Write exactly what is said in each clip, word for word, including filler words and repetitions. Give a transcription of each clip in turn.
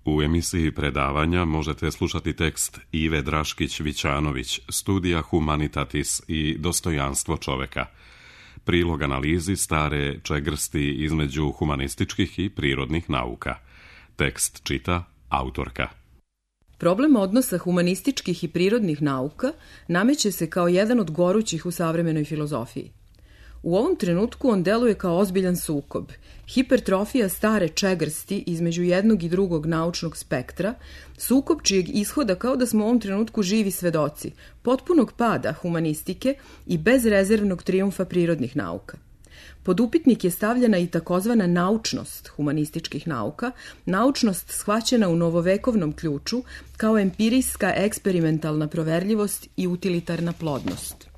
U emisiji predavanja možete slušati tekst Ive Draškić-Vićanović, Studija Humanitatis i dostojanstvo čoveka. Prilog analizi stare čegrsti između humanističkih i prirodnih nauka. Tekst čita autorka. Problem odnosa humanističkih i prirodnih nauka nameće se kao jedan od gorućih u savremenoj filozofiji. U ovom trenutku on deluje kao ozbiljan sukob, hipertrofija stare čegrsti između jednog i drugog naučnog spektra, sukob čijeg ishoda kao da smo u ovom trenutku živi svedoci, potpunog pada humanistike i bezrezervnog trijumfa prirodnih nauka. Pod upitnik je stavljena i takozvana naučnost humanističkih nauka, naučnost shvaćena u novovekovnom ključu kao empirijska eksperimentalna proverljivost i utilitarna plodnost.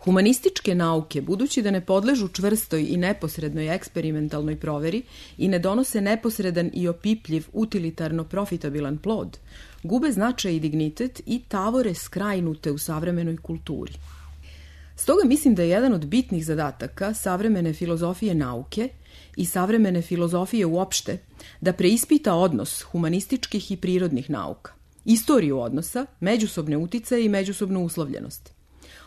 Humanističke nauke, budući da ne podležu čvrstoj i neposrednoj eksperimentalnoj proveri i ne donose neposredan i opipljiv, utilitarno profitabilan plod, gube značaj i dignitet i tavore skrajnute u savremenoj kulturi. Stoga mislim da je jedan od bitnih zadataka savremene filozofije nauke i savremene filozofije uopšte da preispita odnos humanističkih i prirodnih nauka, istoriju odnosa, međusobne uticaje i međusobnu uslovljenost.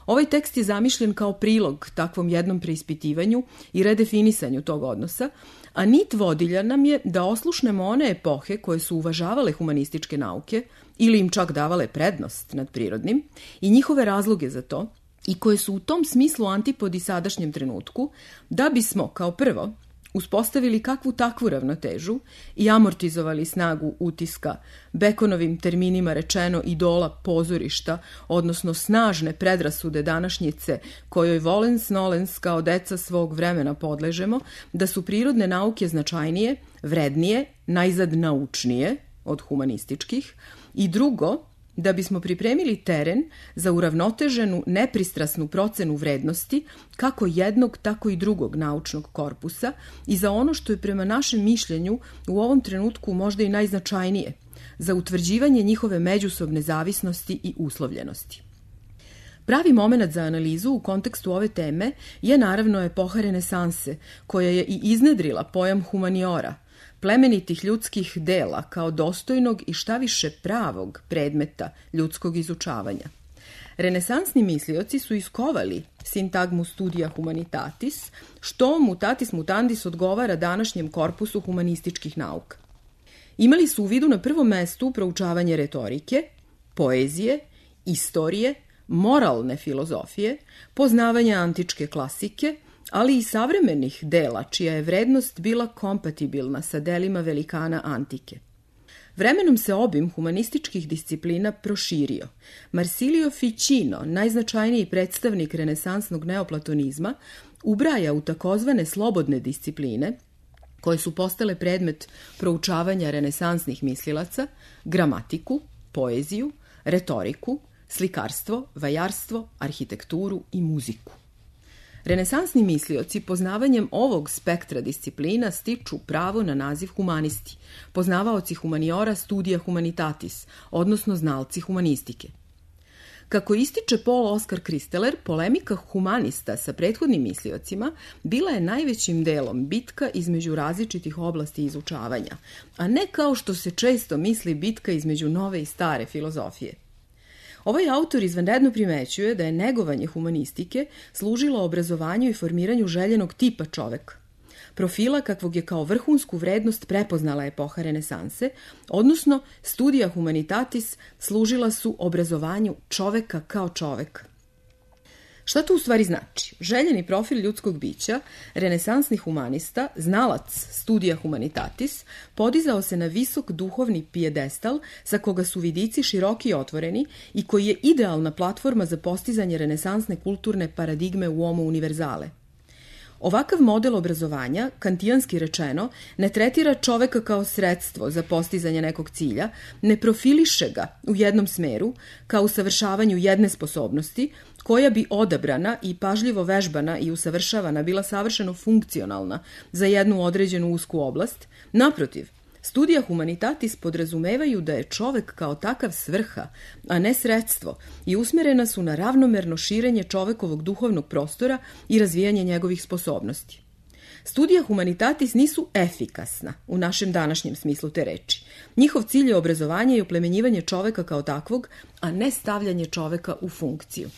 Ovaj tekst je zamišljen kao prilog takvom jednom preispitivanju i redefinisanju tog odnosa, a nit vodilja nam je da oslušnemo one epohe koje su uvažavale humanističke nauke ili im čak davale prednost nad prirodnim i njihove razloge za to i koje su u tom smislu antipodi sadašnjem trenutku, da bismo, kao prvo, uspostavili kakvu takvu ravnotežu i amortizovali snagu utiska, Bekonovim terminima rečeno idola pozorišta, odnosno snažne predrasude današnjice kojoj volens nolens kao deca svog vremena podležemo, da su prirodne nauke značajnije, vrednije, najzad naučnije od humanističkih i drugo, da bismo pripremili teren za uravnoteženu, nepristrasnu procenu vrednosti kako jednog, tako i drugog naučnog korpusa i za ono što je prema našem mišljenju u ovom trenutku možda i najznačajnije, za utvrđivanje njihove međusobne zavisnosti i uslovljenosti. Pravi moment za analizu u kontekstu ove teme je naravno epoha renesanse, koja je i iznedrila pojam humaniora, plemenitih ljudskih dela kao dostojnog i šta više pravog predmeta ljudskog izučavanja. Renesansni mislioci su iskovali sintagmu studija humanitatis, što mutatis mutandis odgovara današnjem korpusu humanističkih nauka. Imali su u vidu na prvom mestu proučavanje retorike, poezije, istorije, moralne filozofije, poznavanje antičke klasike, ali i savremenih dela čija je vrednost bila kompatibilna sa delima velikana antike. Vremenom se obim humanističkih disciplina proširio. Marsilio Ficino, najznačajniji predstavnik renesansnog neoplatonizma, ubraja u takozvane slobodne discipline, koje su postale predmet proučavanja renesansnih mislilaca, gramatiku, poeziju, retoriku, slikarstvo, vajarstvo, arhitekturu i muziku. Renesansni mislioci poznavanjem ovog spektra disciplina stiču pravo na naziv humanisti, poznavaoci humaniora studija humanitatis, odnosno znalci humanistike. Kako ističe Paul Oskar Kristeler, polemika humanista sa prethodnim misliocima bila je najvećim delom bitka između različitih oblasti izučavanja, a ne kao što se često misli bitka između nove i stare filozofije. Ovaj autor izvanredno primećuje da je negovanje humanistike služilo obrazovanju i formiranju željenog tipa čoveka, profila kakvog je kao vrhunsku vrednost prepoznala epoha renesanse, odnosno studija humanitatis služila su obrazovanju čoveka kao čoveka. Šta to u stvari znači? Željeni profil ljudskog bića, renesansni humanista, znalac studija humanitatis, podizao se na visok duhovni pijedestal sa koga su vidici široki i otvoreni i koji je idealna platforma za postizanje renesansne kulturne paradigme u homo univerzale. Ovakav model obrazovanja, kantijanski rečeno, ne tretira čoveka kao sredstvo za postizanje nekog cilja, ne profiliše ga u jednom smeru, kao usavršavanju jedne sposobnosti, koja bi odabrana i pažljivo vežbana i usavršavana bila savršeno funkcionalna za jednu određenu usku oblast. Naprotiv, studija humanitatis podrazumevaju da je čovek kao takav svrha, a ne sredstvo, i usmerena su na ravnomerno širenje čovekovog duhovnog prostora i razvijanje njegovih sposobnosti. Studija humanitatis nisu efikasna u našem današnjem smislu te reči. Njihov cilj je obrazovanje i oplemenjivanje čoveka kao takvog, a ne stavljanje čoveka u funkciju.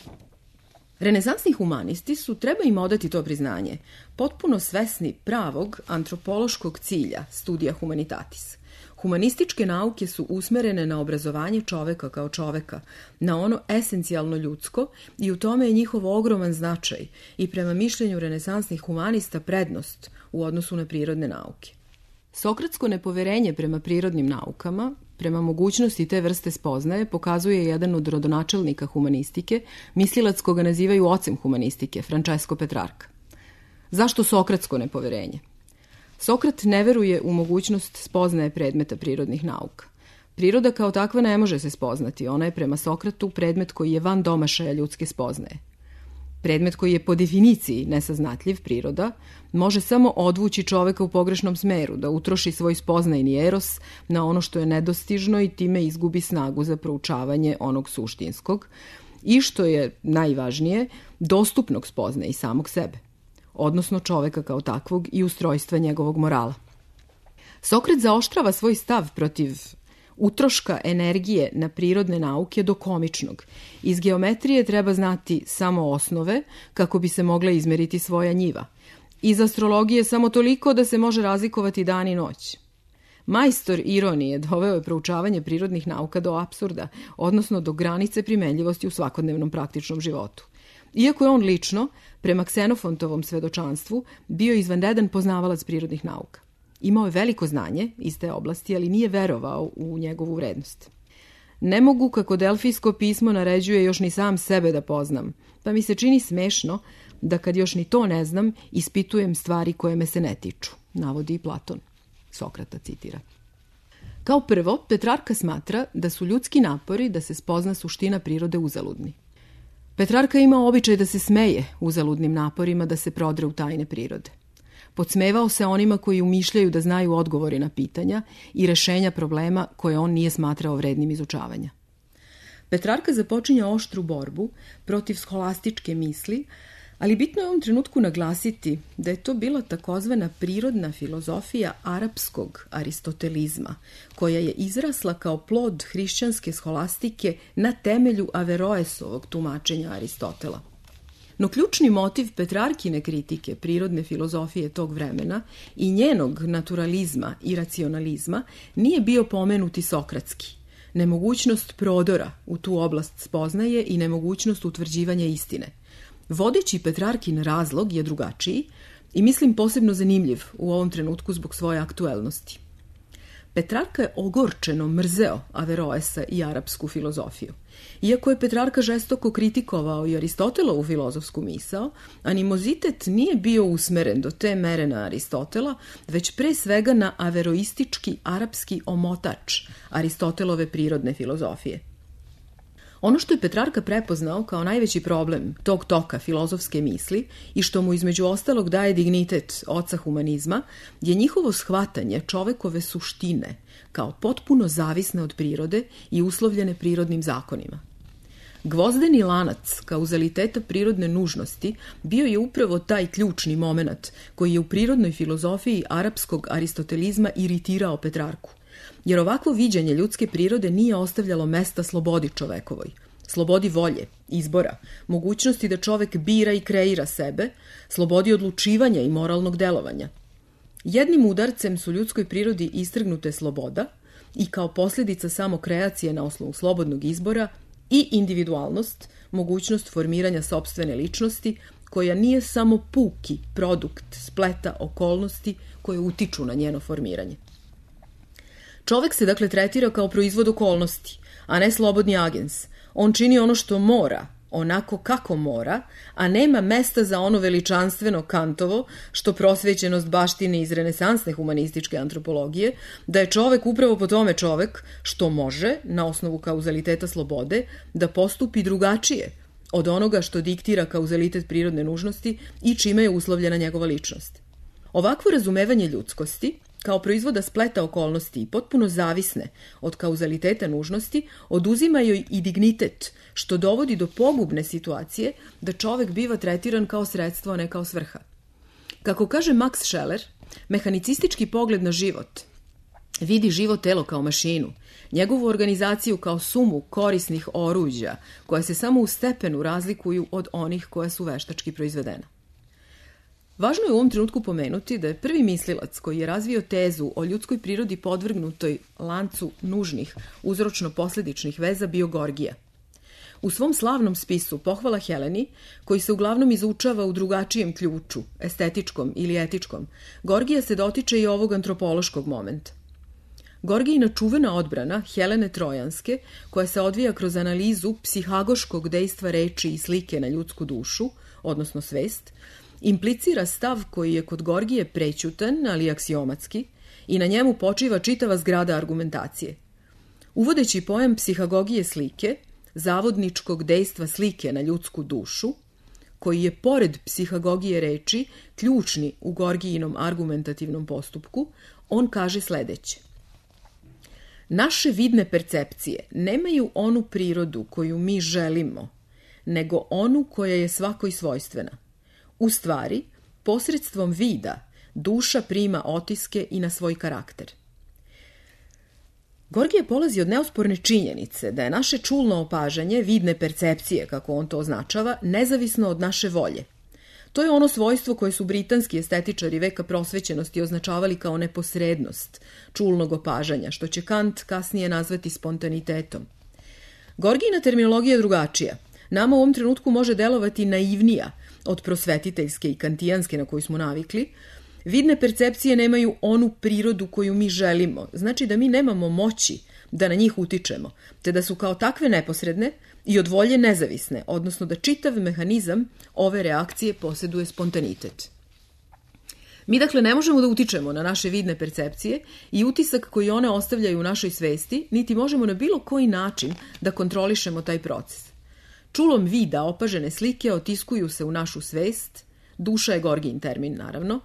Renesansni humanisti su, treba im odati to priznanje, potpuno svesni pravog antropološkog cilja studija humanitatis. Humanističke nauke su usmerene na obrazovanje čoveka kao čoveka, na ono esencijalno ljudsko i u tome je njihov ogroman značaj i prema mišljenju renesansnih humanista prednost u odnosu na prirodne nauke. Sokratsko nepoverenje prema prirodnim naukama, prema mogućnosti te vrste spoznaje, pokazuje jedan od rodonačelnika humanistike, mislilac koga nazivaju ocem humanistike, Francesco Petrarca. Zašto sokratsko nepoverenje? Sokrat ne veruje u mogućnost spoznaje predmeta prirodnih nauka. Priroda kao takva ne može se spoznati, ona je prema Sokratu predmet koji je van domašaja ljudske spoznaje. Predmet koji je po definiciji nesaznatljiv, priroda, može samo odvući čoveka u pogrešnom smeru, da utroši svoj spoznajni eros na ono što je nedostižno i time izgubi snagu za proučavanje onog suštinskog i, što je najvažnije, dostupnog spoznaje i samog sebe, odnosno čoveka kao takvog i ustrojstva njegovog morala. Sokrat zaoštrava svoj stav protiv utroška energije na prirodne nauke do komičnog. Iz geometrije treba znati samo osnove kako bi se mogla izmeriti svoja njiva. Iz astrologije samo toliko da se može razlikovati dan i noć. Majstor ironije doveo je proučavanje prirodnih nauka do apsurda, odnosno do granice primenljivosti u svakodnevnom praktičnom životu. Iako je on lično, prema Ksenofontovom svedočanstvu, bio izvanredan poznavalac prirodnih nauka. Imao je veliko znanje iz te oblasti, ali nije verovao u njegovu vrednost. Ne mogu, kako delfijsko pismo naređuje, još ni sam sebe da poznam, pa mi se čini smešno da kad još ni to ne znam, ispitujem stvari koje me se ne tiču, navodi i Platon. Sokrata citira. Kao prvo, Petrarka smatra da su ljudski napori da se spozna suština prirode uzaludni. Petrarka ima običaj da se smeje uzaludnim naporima da se prodre u tajne prirode. Podsmevao se onima koji umišljaju da znaju odgovore na pitanja i rešenja problema koje on nije smatrao vrednim izučavanja. Petrarka započinja oštru borbu protiv scholastičke misli, ali bitno je u ovom trenutku naglasiti da je to bila takozvana prirodna filozofija arapskog aristotelizma, koja je izrasla kao plod hrišćanske scholastike na temelju Averroesovog tumačenja Aristotela. No ključni motiv Petrarkine kritike prirodne filozofije tog vremena i njenog naturalizma i racionalizma nije bio pomenuti sokratski, nemogućnost prodora u tu oblast spoznaje i nemogućnost utvrđivanja istine. Vodeći Petrarkin razlog je drugačiji i mislim posebno zanimljiv u ovom trenutku zbog svoje aktuelnosti. Petrarka je ogorčeno mrzeo Averroesa i arapsku filozofiju. Iako je Petrarka žestoko kritikovao i Aristotelovu filozofsku misao, animozitet nije bio usmeren do te mere na Aristotela, već pre svega na averoistički arapski omotač Aristotelove prirodne filozofije. Ono što je Petrarka prepoznao kao najveći problem tog toka filozofske misli i što mu između ostalog daje dignitet oca humanizma je njihovo shvatanje čovekove suštine kao potpuno zavisne od prirode i uslovljene prirodnim zakonima. Gvozdeni lanac kauzaliteta prirodne nužnosti bio je upravo taj ključni moment koji je u prirodnoj filozofiji arapskog aristotelizma iritirao Petrarku. Jer ovakvo viđenje ljudske prirode nije ostavljalo mesta slobodi čovekovoj, slobodi volje, izbora, mogućnosti da čovek bira i kreira sebe, slobodi odlučivanja i moralnog delovanja. Jednim udarcem su ljudskoj prirodi istrgnute sloboda i kao posljedica samo kreacije na osnovu slobodnog izbora i individualnost, mogućnost formiranja sopstvene ličnosti, koja nije samo puki produkt spleta okolnosti koje utiču na njeno formiranje. Čovek se dakle tretira kao proizvod okolnosti, a ne slobodni agens. On čini ono što mora, onako kako mora, a nema mesta za ono veličanstveno Kantovo, što prosvećenost baštine iz renesansne humanističke antropologije, da je čovek upravo po tome čovek što može, na osnovu kauzaliteta slobode, da postupi drugačije od onoga što diktira kauzalitet prirodne nužnosti i čime je uslovljena njegova ličnost. Ovakvo razumevanje ljudskosti, kao proizvoda spleta okolnosti i potpuno zavisne od kauzaliteta nužnosti, oduzima joj i dignitet, što dovodi do pogubne situacije da čovek biva tretiran kao sredstvo, a ne kao svrha. Kako kaže Max Scheler, mehanicistički pogled na život vidi živo telo kao mašinu, njegovu organizaciju kao sumu korisnih oruđa koja se samo u stepenu razlikuju od onih koja su veštački proizvedena. Važno je u ovom trenutku pomenuti da je prvi mislilac koji je razvio tezu o ljudskoj prirodi podvrgnutoj lancu nužnih uzročno-posledičnih veza bio Gorgija. U svom slavnom spisu Pohvala Heleni, koji se uglavnom izučava u drugačijem ključu, estetičkom ili etičkom, Gorgija se dotiče i ovog antropološkog momenta. Gorgijina čuvena odbrana Helene Trojanske, koja se odvija kroz analizu psihagoškog dejstva reči i slike na ljudsku dušu, odnosno svest, implicira stav koji je kod Gorgije prećutan, ali aksiomatski, i na njemu počiva čitava zgrada argumentacije. Uvodeći pojam psihagogije slike, zavodničkog dejstva slike na ljudsku dušu, koji je pored psihagogije reči ključni u Gorgijinom argumentativnom postupku, on kaže sledeće. Naše vidne percepcije nemaju onu prirodu koju mi želimo, nego onu koja je svakoj svojstvena. U stvari, posredstvom vida, duša prima otiske i na svoj karakter. Gorgije polazi od neosporne činjenice da je naše čulno opažanje, vidne percepcije, kako on to označava, nezavisno od naše volje. To je ono svojstvo koje su britanski estetičari veka prosvećenosti označavali kao neposrednost čulnog opažanja, što će Kant kasnije nazvati spontanitetom. Gorgijina terminologija je drugačija. Nama u ovom trenutku može delovati naivnija od prosvetiteljske i kantijanske na koju smo navikli. Vidne percepcije nemaju onu prirodu koju mi želimo, znači da mi nemamo moći da na njih utičemo, te da su kao takve neposredne i od volje nezavisne, odnosno da čitav mehanizam ove reakcije posjeduje spontanitet. Mi dakle ne možemo da utičemo na naše vidne percepcije i utisak koji one ostavljaju u našoj svesti, niti možemo na bilo koji način da kontrolišemo taj proces. Čulom vida opažene slike otiskuju se u našu svest, duša je Gorgijin termin naravno,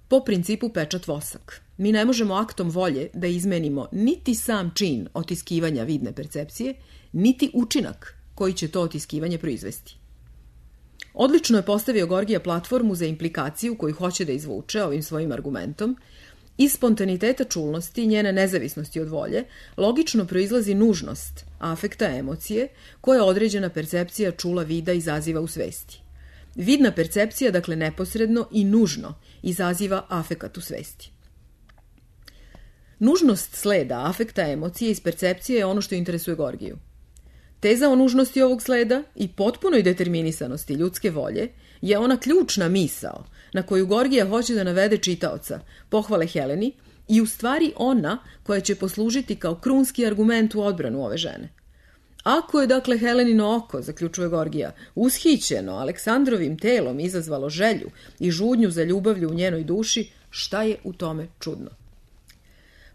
po principu pečat vosak. Mi ne možemo aktom volje da izmenimo niti sam čin otiskivanja vidne percepcije, niti učinak koji će to otiskivanje proizvesti. Odlično je postavio Gorgija platformu za implikaciju koju hoće da izvuče ovim svojim argumentom. Iz spontaniteta čulnosti i njene nezavisnosti od volje logično proizlazi nužnost afekta emocije koja određena percepcija čula vida izaziva u svesti. Vidna percepcija, dakle neposredno i nužno, izaziva afekat u svesti. Nužnost sleda afekta emocije iz percepcije je ono što interesuje Gorgiju. Teza o nužnosti ovog sleda i potpunoj determinisanosti ljudske volje je ona ključna misao na koju Gorgija hoće da navede čitaoca Pohvale Heleni i u stvari ona koja će poslužiti kao krunski argument u odbranu ove žene. Ako je dakle Helenino oko, zaključuje Gorgija, ushićeno Aleksandrovim telom izazvalo želju i žudnju za ljubavlju u njenoj duši, šta je u tome čudno?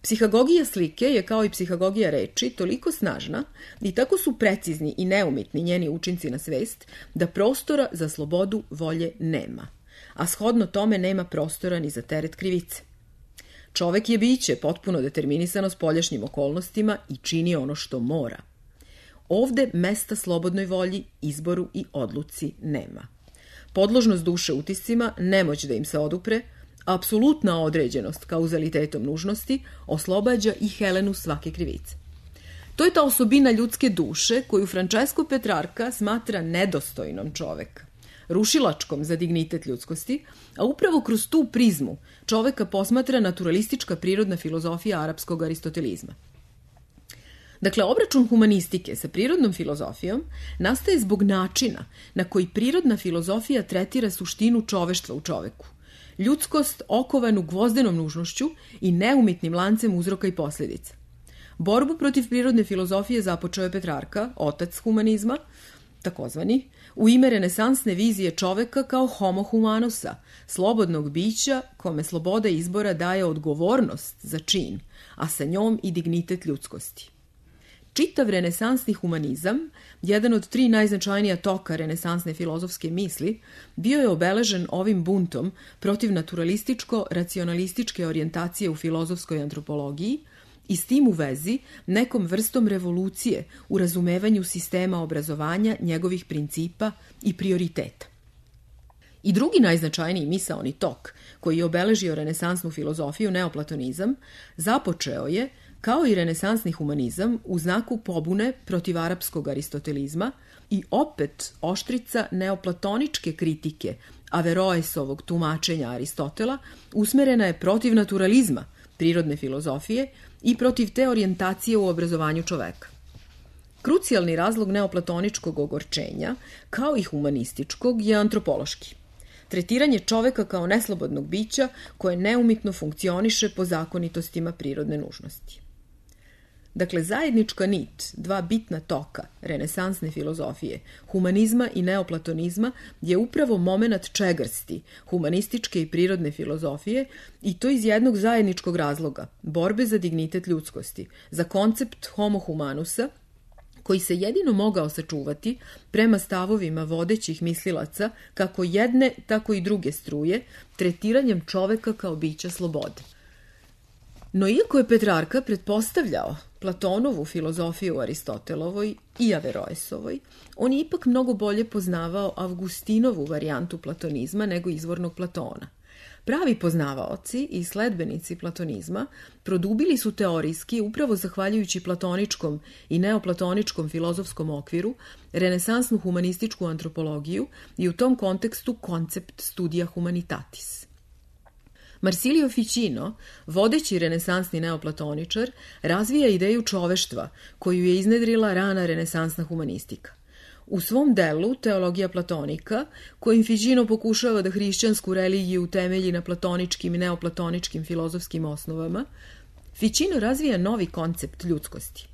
Psihagogija slike je kao i psihagogija reči toliko snažna i tako su precizni i neumitni njeni učinci na svest da prostora za slobodu volje nema, a shodno tome nema prostora ni za teret krivice. Čovek je biće potpuno determinisano spoljašnjim okolnostima i čini ono što mora. Ovde mesta slobodnoj volji, izboru i odluci nema. Podložnost duše utiscima, nemoć da im se odupre, apsolutna određenost kauzalitetom nužnosti oslobađa i Helenu svake krivice. To je ta osobina ljudske duše koju Francesco Petrarca smatra nedostojnom čoveka, rušilačkom za dignitet ljudskosti, a upravo kroz tu prizmu čoveka posmatra naturalistička prirodna filozofija arapskog aristotelizma. Dakle, obračun humanistike sa prirodnom filozofijom nastaje zbog načina na koji prirodna filozofija tretira suštinu čoveštva u čoveku, ljudskost okovanu gvozdenom nužnošću i neumitnim lancem uzroka i posljedica. Borbu protiv prirodne filozofije započeo je Petrarka, otac humanizma, takozvani, u ime renesansne vizije čoveka kao homo humanusa, slobodnog bića kome sloboda izbora daje odgovornost za čin, a sa njom i dignitet ljudskosti. Čitav renesansni humanizam, jedan od tri najznačajnija toka renesansne filozofske misli, bio je obeležen ovim buntom protiv naturalističko-racionalističke orijentacije u filozofskoj antropologiji i s tim u vezi nekom vrstom revolucije u razumevanju sistema obrazovanja, njegovih principa i prioriteta. I drugi najznačajniji misaoni tok koji je obeležio renesansnu filozofiju, neoplatonizam, započeo je, kao i renesansni humanizam, u znaku pobune protiv arapskog aristotelizma i opet oštrica neoplatoničke kritike Averroesovog tumačenja Aristotela usmerena je protiv naturalizma, prirodne filozofije i protiv te orijentacije u obrazovanju čoveka. Krucijalni razlog neoplatoničkog ogorčenja, kao i humanističkog, je antropološki. Tretiranje čoveka kao neslobodnog bića koje neumitno funkcioniše po zakonitostima prirodne nužnosti. Dakle, zajednička nit, dva bitna toka renesansne filozofije, humanizma i neoplatonizma, je upravo momenat čegrsti humanističke i prirodne filozofije, i to iz jednog zajedničkog razloga, borbe za dignitet ljudskosti, za koncept homo humanusa, koji se jedino mogao sačuvati prema stavovima vodećih mislilaca kako jedne, tako i druge struje, tretiranjem čoveka kao bića slobode. No iako je Petrarka pretpostavljao Platonovu filozofiju Aristotelovoj i Averroesovoj, on je ipak mnogo bolje poznavao Avgustinovu varijantu platonizma nego izvornog Platona. Pravi poznavaoci i sledbenici platonizma produbili su teorijski, upravo zahvaljujući platoničkom i neoplatoničkom filozofskom okviru, renesansnu humanističku antropologiju i u tom kontekstu koncept studija humanitatis. Marsilio Ficino, vodeći renesansni neoplatoničar, razvija ideju čoveštva koju je iznedrila rana renesansna humanistika. U svom delu Teologija platonika, kojim Ficino pokušava da hrišćansku religiju utemelji na platoničkim i neoplatoničkim filozofskim osnovama, Ficino razvija novi koncept ljudskosti.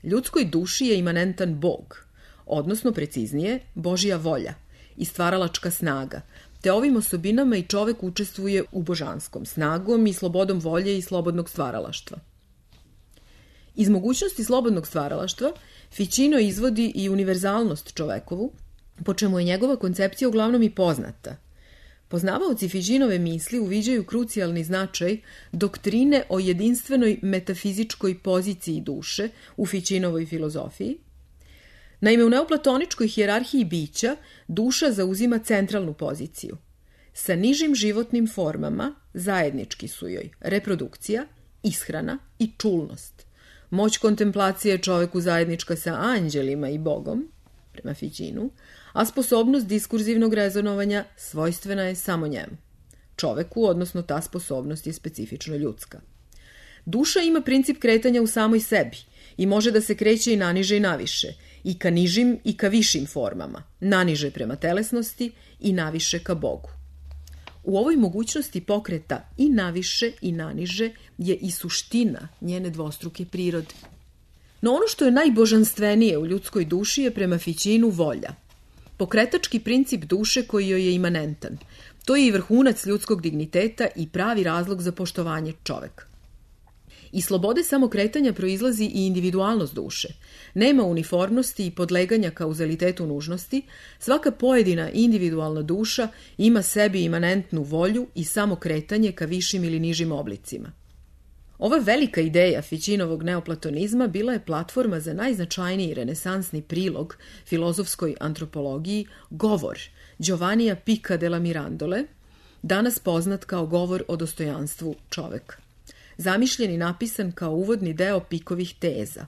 Ljudskoj duši je imanentan Bog, odnosno preciznije Božja volja i stvaralačka snaga, te ovim osobinama i čovek učestvuje u božanskom snagom i slobodom volje i slobodnog stvaralaštva. Iz mogućnosti slobodnog stvaralaštva Ficino izvodi i univerzalnost čovekovu, po čemu je njegova koncepcija uglavnom i poznata. Poznavaoci Ficinove misli uviđaju krucijalni značaj doktrine o jedinstvenoj metafizičkoj poziciji duše u Ficinovoj filozofiji. Naime, u neoplatoničkoj hijerarhiji bića duša zauzima centralnu poziciju. Sa nižim životnim formama zajednički su joj reprodukcija, ishrana i čulnost. Moć kontemplacije je čoveku zajednička sa anđelima i Bogom, prema Ficinu, a sposobnost diskurzivnog rezonovanja svojstvena je samo njemu. Čoveku, odnosno ta sposobnost, je specifično ljudska. Duša ima princip kretanja u samoj sebi i može da se kreće i naniže i naviše, i ka nižim i ka višim formama, naniže prema telesnosti i naviše ka Bogu. U ovoj mogućnosti pokreta i naviše i naniže je i suština njene dvostruke prirode. No ono što je najbožanstvenije u ljudskoj duši je prema Ficinu volja. Pokretački princip duše koji joj je imanentan. To je i vrhunac ljudskog digniteta i pravi razlog za poštovanje čoveka. Iz slobode samokretanja proizlazi i individualnost duše. Nema uniformnosti i podleganja kauzalitetu nužnosti, svaka pojedina individualna duša ima sebi imanentnu volju i samokretanje ka višim ili nižim oblicima. Ova velika ideja Ficinovog neoplatonizma bila je platforma za najznačajniji renesansni prilog filozofskoj antropologiji, govor Giovannija Pica della Mirandole, danas poznat kao govor o dostojanstvu čoveka. Zamišljen i napisan kao uvodni deo Pikovih teza.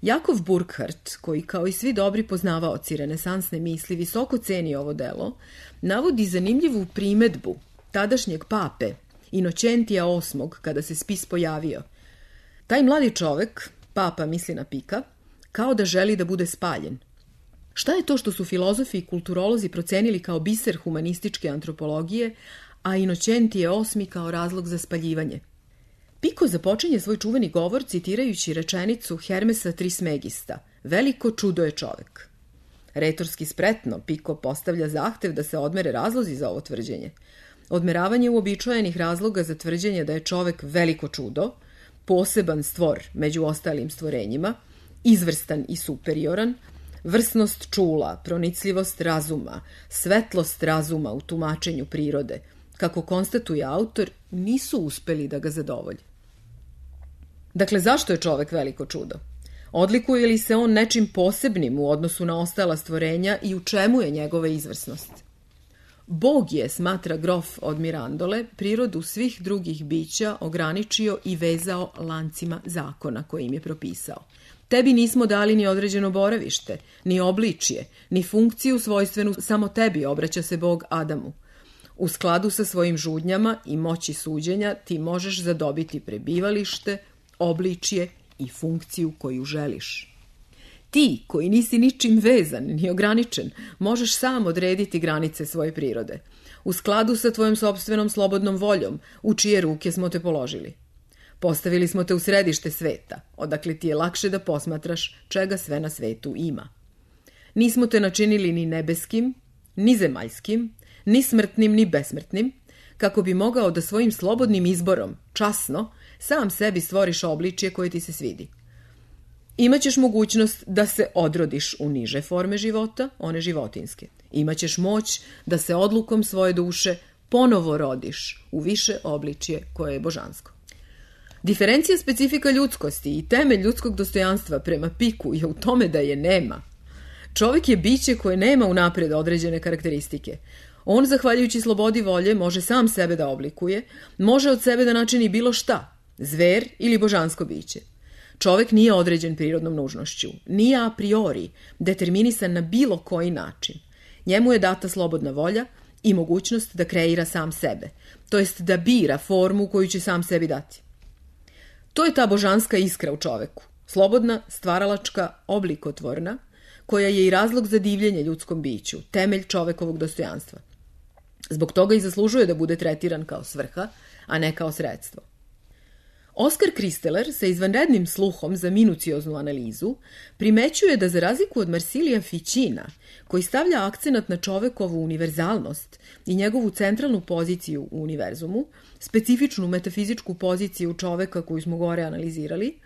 Jakov Burckhardt, koji kao i svi dobri poznavaoci renesansne misli visoko ceni ovo delo, navodi zanimljivu primedbu tadašnjeg pape Inocentija osmog kada se spis pojavio. Taj mladi čovek, papa misli na Pika, kao da želi da bude spaljen. Šta je to što su filozofi i kulturolozi procenili kao biser humanističke antropologije, a Inocentije osmi kao razlog za spaljivanje? Pico započinje svoj čuveni govor citirajući rečenicu Hermesa Trismegista: veliko čudo je čovek. Retorski spretno Pico postavlja zahtev da se odmere razlozi za ovo tvrđenje. Odmeravanje uobičajenih razloga za tvrđenje da je čovek veliko čudo, poseban stvor među ostalim stvorenjima, izvrstan i superioran, vrsnost čula, pronicljivost razuma, svetlost razuma u tumačenju prirode, kako konstatuje autor, nisu uspeli da ga zadovolje. Dakle, zašto je čovek veliko čudo? Odlikuje li se on nečim posebnim u odnosu na ostala stvorenja i u čemu je njegova izvrsnost? Bog je, smatra grof od Mirandole, prirodu svih drugih bića ograničio i vezao lancima zakona koje im je propisao. Tebi nismo dali ni određeno boravište, ni obličje, ni funkciju svojstvenu samo tebi, obraća se Bog Adamu. U skladu sa svojim žudnjama i moći suđenja ti možeš zadobiti prebivalište, obličje i funkciju koju želiš. Ti, koji nisi ničim vezan ni ograničen, možeš sam odrediti granice svoje prirode, u skladu sa tvojom sopstvenom slobodnom voljom, u čije ruke smo te položili. Postavili smo te u središte sveta, odakle ti je lakše da posmatraš čega sve na svetu ima. Nismo te načinili ni nebeskim, ni zemaljskim, ni smrtnim, ni besmrtnim, kako bi mogao da svojim slobodnim izborom, časno, sam sebi stvoriš obličje koje ti se svidi. Imaćeš mogućnost da se odrodiš u niže forme života, one životinske. Imaćeš moć da se odlukom svoje duše ponovo rodiš u više obličje koje je božansko. Diferencija specifika ljudskosti i temelj ljudskog dostojanstva prema Piku je u tome da je nema. Čovjek je biće koje nema unapred određene karakteristike. On, zahvaljujući slobodi volje, može sam sebe da oblikuje, može od sebe da načini bilo šta, zver ili božansko biće. Čovjek nije određen prirodnom nužnošću, nije a priori determinisan na bilo koji način. Njemu je data slobodna volja i mogućnost da kreira sam sebe, to jest da bira formu koju će sam sebi dati. To je ta božanska iskra u čoveku, slobodna, stvaralačka, oblikotvorna, koja je i razlog za divljenje ljudskom biću, temelj čovekovog dostojanstva. Zbog toga i zaslužuje da bude tretiran kao svrha, a ne kao sredstvo. Oskar Kristeler sa izvanrednim sluhom za minucioznu analizu primećuje da za razliku od Marsilija Ficina, koji stavlja akcenat na čovekovu univerzalnost i njegovu centralnu poziciju u univerzumu, specifičnu metafizičku poziciju čoveka koju smo gore analizirali,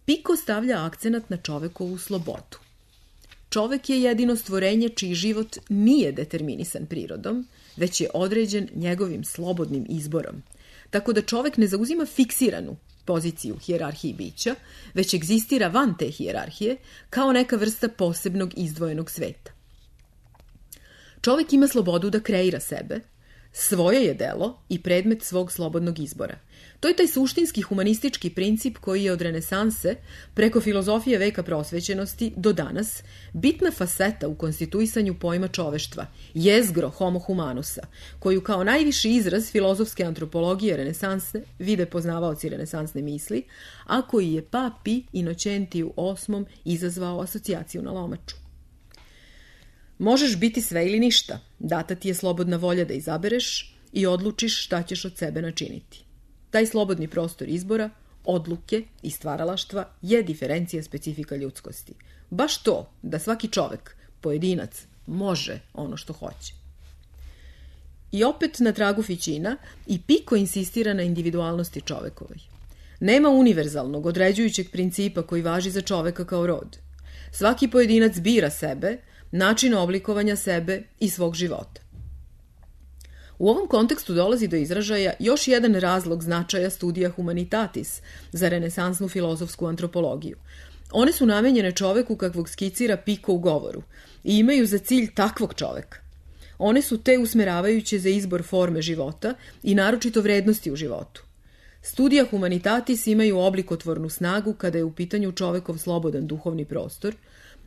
Pico stavlja akcenat na čovekovu slobodu. Čovek je jedino stvorenje čiji život nije determinisan prirodom, već je određen njegovim slobodnim izborom, tako da čovek ne zauzima fiksiranu poziciju hijerarhiji bića, već egzistira van te hijerarhije kao neka vrsta posebnog izdvojenog sveta. Čovek ima slobodu da kreira sebe, svoje je delo i predmet svog slobodnog izbora. To je taj suštinski humanistički princip koji je od renesanse, preko filozofije veka prosvećenosti do danas, bitna faseta u konstituisanju pojma čoveštva, jezgro homo humanusa, koju kao najviši izraz filozofske antropologije renesanse vide poznavaoci renesansne misli, a koji je papi Inocentiju osmom izazvao asocijaciju na lomaču. Možeš biti sve ili ništa, data ti je slobodna volja da izabereš i odlučiš šta ćeš od sebe načiniti. Taj slobodni prostor izbora, odluke i stvaralaštva je diferencija specifika ljudskosti. Baš to da svaki čovek, pojedinac, može ono što hoće. I opet na tragu Ficina i Pico insistira na individualnosti čovekovoj. Nema univerzalnog, određujućeg principa koji važi za čoveka kao rod. Svaki pojedinac bira sebe, način oblikovanja sebe i svog života. U ovom kontekstu dolazi do izražaja još jedan razlog značaja studija humanitatis za renesansnu filozofsku antropologiju. One su namenjene čoveku kakvog skicira Pico u govoru i imaju za cilj takvog čoveka. One su te usmeravajuće za izbor forme života i naročito vrednosti u životu. Studija humanitatis imaju oblikotvornu snagu kada je u pitanju čovekov slobodan duhovni prostor,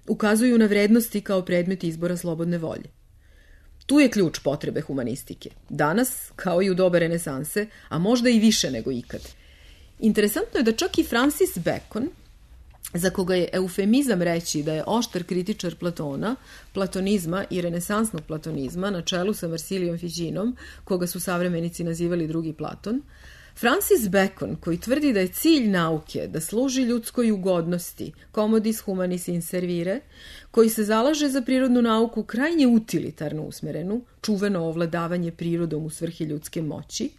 ukazuju na vrednosti kao predmet izbora slobodne volje. Tu je ključ potrebe humanistike. Danas, kao i u doba renesanse, a možda i više nego ikad. Interesantno je da čak i Francis Bacon, za koga je eufemizam reći da je oštar kritičar Platona, platonizma i renesansnog platonizma na čelu sa Marsilijom Ficinom, koga su savremenici nazivali drugi Platon, Francis Bacon, koji tvrdi da je cilj nauke da služi ljudskoj ugodnosti, commodis humanis in servire, koji se zalaže za prirodnu nauku krajnje utilitarno usmerenu, čuveno ovladavanje prirodom u svrhi ljudske moći,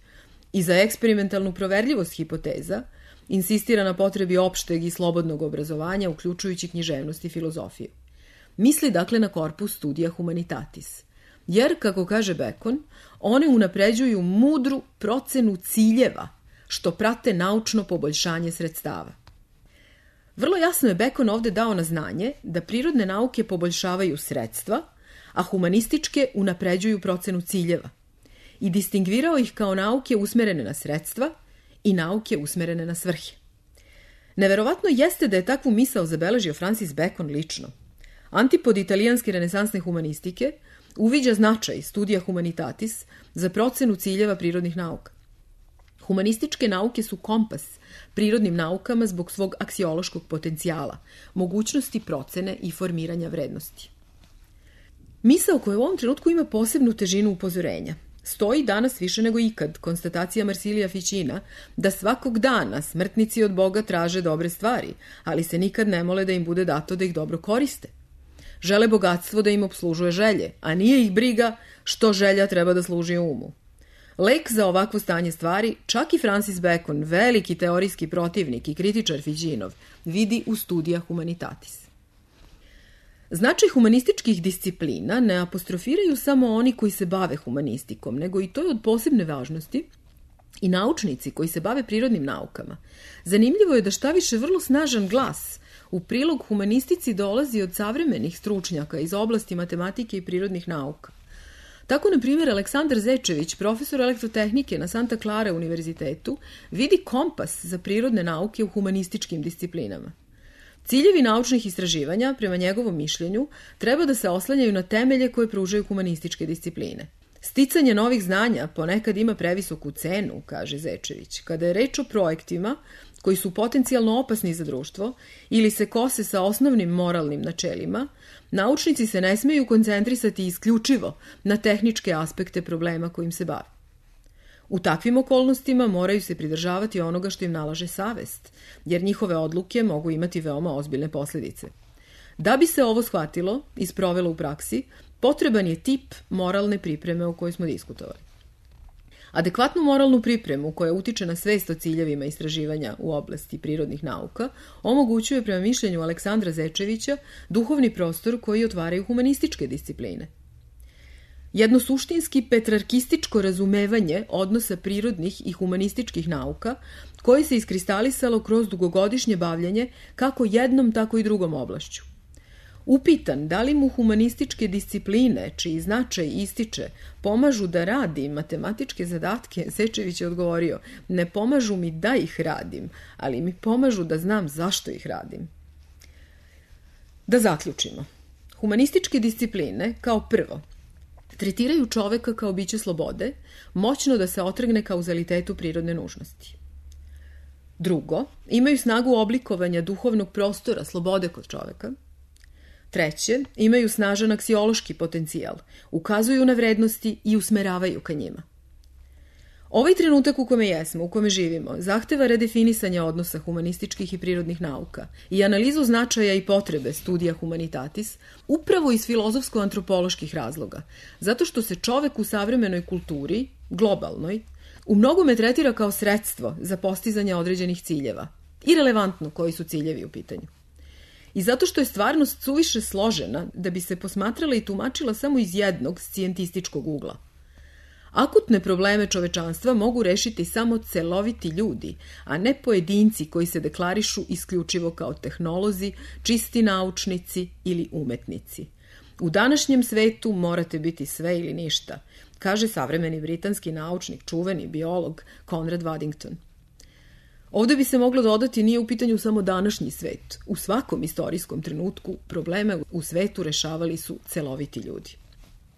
i za eksperimentalnu proverljivost hipoteza, insistira na potrebi opšteg i slobodnog obrazovanja, uključujući književnost i filozofiju. Misli dakle na korpus studija humanitatis. Jer, kako kaže Bacon, one unapređuju mudru procenu ciljeva, što prate naučno poboljšanje sredstava. Vrlo jasno je Bacon ovde dao na znanje da prirodne nauke poboljšavaju sredstva, a humanističke unapređuju procenu ciljeva i distingvirao ih kao nauke usmerene na sredstva i nauke usmerene na svrhe. Neverovatno jeste da je takvu misao zabeležio Francis Bacon lično. Antipod italijanske renesansne humanistike uviđa značaj studija humanitatis za procenu ciljeva prirodnih nauka. Humanističke nauke su kompas prirodnim naukama zbog svog aksiološkog potencijala, mogućnosti procene i formiranja vrednosti. Misao koja u ovom trenutku ima posebnu težinu upozorenja stoji danas više nego ikad konstatacija Marsilija Ficina da svakog dana smrtnici od Boga traže dobre stvari, ali se nikad ne mole da im bude dato da ih dobro koriste. Žele bogatstvo da im obslužuje želje, a nije ih briga što želja treba da služi umu. Lek za ovakvo stanje stvari čak i Francis Bacon, veliki teorijski protivnik i kritičar Ficinov, vidi u studija humanitatis. Značaj humanističkih disciplina ne apostrofiraju samo oni koji se bave humanistikom, nego i to je od posebne važnosti i naučnici koji se bave prirodnim naukama. Zanimljivo je da šta više vrlo snažan glas u prilog humanistici dolazi od savremenih stručnjaka iz oblasti matematike i prirodnih nauka. Tako, na primjer, Aleksandar Zečević, profesor elektrotehnike na Santa Clara univerzitetu, vidi kompas za prirodne nauke u humanističkim disciplinama. Ciljevi naučnih istraživanja, prema njegovom mišljenju, treba da se oslanjaju na temelje koje pružaju humanističke discipline. Sticanje novih znanja ponekad ima previsoku cenu, kaže Zečević, kada je reč o projektima koji su potencijalno opasni za društvo ili se kose sa osnovnim moralnim načelima, naučnici se ne smeju koncentrisati isključivo na tehničke aspekte problema kojim se bave. U takvim okolnostima moraju se pridržavati onoga što im nalaže savest, jer njihove odluke mogu imati veoma ozbiljne posljedice. Da bi se ovo shvatilo i sprovelo u praksi, potreban je tip moralne pripreme o kojoj smo diskutovali. Adekvatnu moralnu pripremu koja utiče na svest o ciljevima istraživanja u oblasti prirodnih nauka omogućuje, prema mišljenju Aleksandra Zečevića, duhovni prostor koji otvaraju humanističke discipline. Jedno suštinski petrarkističko razumevanje odnosa prirodnih i humanističkih nauka koje se iskristalisalo kroz dugogodišnje bavljanje kako jednom, tako i drugom oblašću. Upitan da li mu humanističke discipline, čiji značaj ističe, pomažu da radim matematičke zadatke, Zečević je odgovorio: ne pomažu mi da ih radim, ali mi pomažu da znam zašto ih radim. Da zaključimo. Humanističke discipline, kao prvo, tretiraju čoveka kao biće slobode, moćno da se otrgne kauzalitetu prirodne nužnosti. Drugo, imaju snagu oblikovanja duhovnog prostora slobode kod čoveka. Treće, imaju snažan aksiološki potencijal, ukazuju na vrednosti i usmeravaju ka njima. Ovaj trenutak u kome jesmo, u kome živimo, zahteva redefinisanje odnosa humanističkih i prirodnih nauka i analizu značaja i potrebe studija humanitatis upravo iz filozofsko-antropoloških razloga, zato što se čovek u savremenoj kulturi, globalnoj, u mnogome tretira kao sredstvo za postizanje određenih ciljeva, irelevantno koji su ciljevi u pitanju. I zato što je stvarnost suviše složena da bi se posmatrala i tumačila samo iz jednog scijentističkog ugla. Akutne probleme čovečanstva mogu rešiti samo celoviti ljudi, a ne pojedinci koji se deklarišu isključivo kao tehnolozi, čisti naučnici ili umetnici. U današnjem svetu morate biti sve ili ništa, kaže savremeni britanski naučnik, čuveni biolog Conrad Waddington. Ovdje bi se moglo dodati, nije u pitanju samo današnji svet. U svakom istorijskom trenutku probleme u svetu rešavali su celoviti ljudi.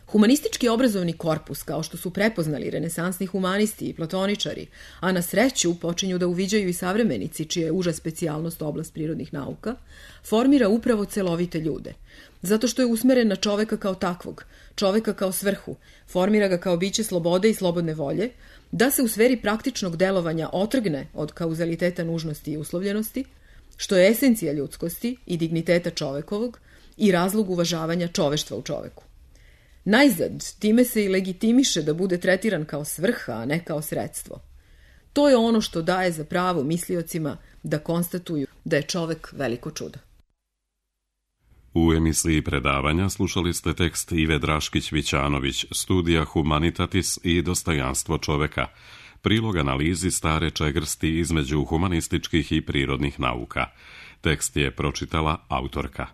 Humanistički obrazovni korpus, kao što su prepoznali renesansni humanisti i platoničari, a na sreću počinju da uviđaju i savremenici, čija je uža specijalnost oblast prirodnih nauka, formira upravo celovite ljude. Zato što je usmeren na čoveka kao takvog, čoveka kao svrhu, formira ga kao biće slobode i slobodne volje, da se u sferi praktičnog delovanja otrgne od kauzaliteta nužnosti i uslovljenosti, što je esencija ljudskosti i digniteta čovekovog i razlog uvažavanja čoveštva u čoveku. Najzad, time se i legitimiše da bude tretiran kao svrha, a ne kao sredstvo. To je ono što daje za pravo misliocima da konstatuju da je čovek veliko čudo. U emisiji predavanja slušali ste tekst Ive Draškić-Vićanović, studija Humanitatis i dostojanstvo čoveka, prilog analizi stare čegrsti između humanističkih i prirodnih nauka. Tekst je pročitala autorka.